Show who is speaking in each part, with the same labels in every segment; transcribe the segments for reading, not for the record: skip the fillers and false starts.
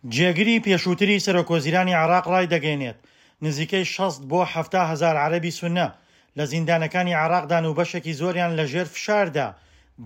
Speaker 1: جێگری پێشووتری سەرۆکوەزیرانی عێراق ڕایدەگەیەنێت، نزیکەی 60 بۆ 70 هەزار عەرەبی سوننە لە زیندانەکانی عێراقدان و بەشێکی زۆریان لەژێر فشاردا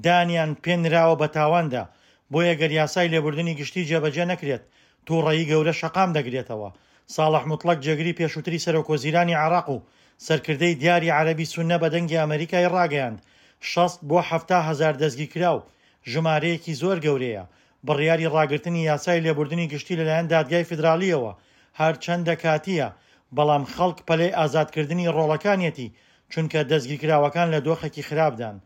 Speaker 1: دانیان پێنراوە بە تاواندا، بۆیە گەر یاسای لێبوردنی گشتی جێبەجێ نەکرێت توڕەیی گەورە شەقام دەگرێتەوە. ساڵح موتڵەگ جێگری پێشووتری سەرۆکوەزیرانی عێراق و سەرکردەی دیاری عەرەبی سوننە بە دەنگی ئەمەریکای ڕاگەیاند، 60 بۆ 70 هەزار دەستگیرکراو ژمارەیەکی زۆر گەورەیە، بڕیاری ڕاگرتنی یاسای لێبوردنی گشتی لەلایەن دادگای فیدراڵییەوە هەرچەندە کاتییە، بەڵام خەڵک پەلەی ئازادکردنی ڕۆڵەکانیەتی، چونکە دەستگیرکراوەکان لە دۆخێکی خراپدان.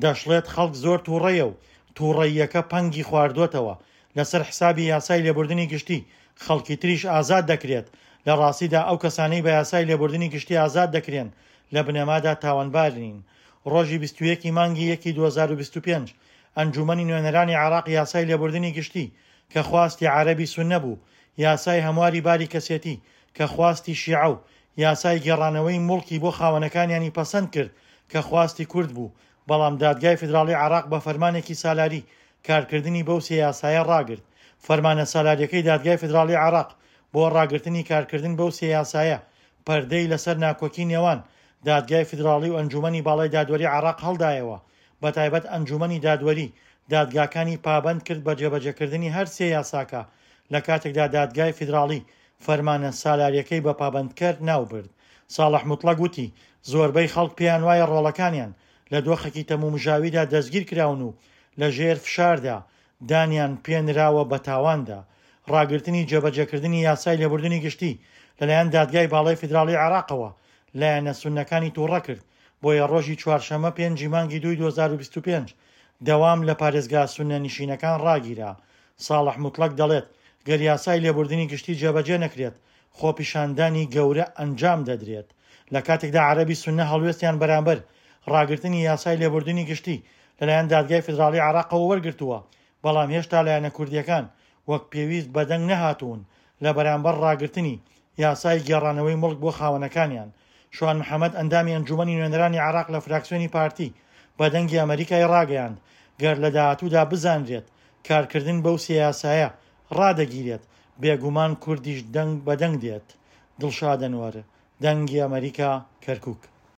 Speaker 1: دەشڵێت خەڵک زۆر توڕەیە و توڕەییەکە پەنگی خواردۆتەوە، لەسەر حسابی یاسای لێبوردنی گشتی خەڵکی تریش ئازاد دەکرێت، لە ڕاستیدا ئەو کەسانەی بە یاسای لێبوردنی گشتی ئازاد دەکرێن لە بنەمادا تاوانبار نین. ڕۆژی 21 ی مانگی یەکی 2025 ئەنجوومەنی نوێنەرانی عێراق یاسای لێبوردنی گشتی کە خواستی عەرەبی سوننە بوو، یاسای هەمواری باری کەسێتی کە خواستی شیعە و یاسای گێڕانەوەی موڵکی بۆ خاوەنەکانیانی پەسەند کرد کە خواستی کورد بوو، بەڵام دادگای فیدراڵی عێراق بە فەرمانێکی سالاری کارکردنی بەو سێ یاسایە ڕاگرت. فەرمانە سالاریەکەی دادگای فیدراڵی عێراق بۆ ڕاگرتنی کارکردن بەو سێ یاسایە پەردەی لەسەر ناکۆکی نێوان دادگای فیدراڵی و ئەنجوومەنی باڵای دادوەری عێراق هەڵدایەوە، بەتایبەت ئەنجوومەنی دادوەری دادگاکانی پابەند کرد بە جێبەجێکردنی هەر سێ یاساکە، لە کاتێکدا دادگای فیدراڵی فەرمانە سالاریەکەی بە پابەندکەر ناوبرد. ساڵح موتڵەگ وتی، زۆربەی خەڵک پێیانوایە ڕۆڵەکانیان لە دۆخێکی تەمومژاویدا دەستگیرکراون و لەژێر فشاردا دانیان پێنراوە بە تاواندا. ڕاگرتنی جێبەجێکردنی یاسای لێبوردنی گشتی لەلایەن دادگای باڵای فیدراڵی عێراقەوە لایەنە سوننەکانی توڕە کرد، بۆیە ڕۆژی چوارشەممە پێنجی مانگی دووی 2025 دەوام لە پارێزگا سوننە نشینەکان ڕاگیرا. ساڵح موتڵەگ دەڵێت، گەر یاسای لێبوردنی گشتی جێبەجێ نەکرێت، خۆپیشاندانی گەورە ئەنجام دەدرێت. لە کاتێکدا عەرەبی سوننە هەڵوێستیان بەرامبەر ڕاگرتنی یاسای لێبوردنی گشتی لەلایەن دادگای فیدراڵی عێراقەوە وەرگرتووە، بەڵام هێشتا لایەنە کوردییەکان وەک پێویست بەدەنگ نەهاتوون لە بەرامبەر ڕاگرتنی یاسای گێڕانەوەی موڵک بۆ خاوەنەکانیان. شوان محەمەد ئەندامی ئەنجومەنی نوێنەرانی عێراق لە فراکسیۆنی پارتی بە دەنگی ئەمەریکای ڕاگەیاند، گەر لە داهاتوودا بزانرێت کارکردن بەو سێ یاسایە ڕادەگیرێت، بێگومان کوردیش دەنگ بە دەنگ دێت. دڵشاد ئەنوەر، دەنگی ئەمەریکا، کەرکوک.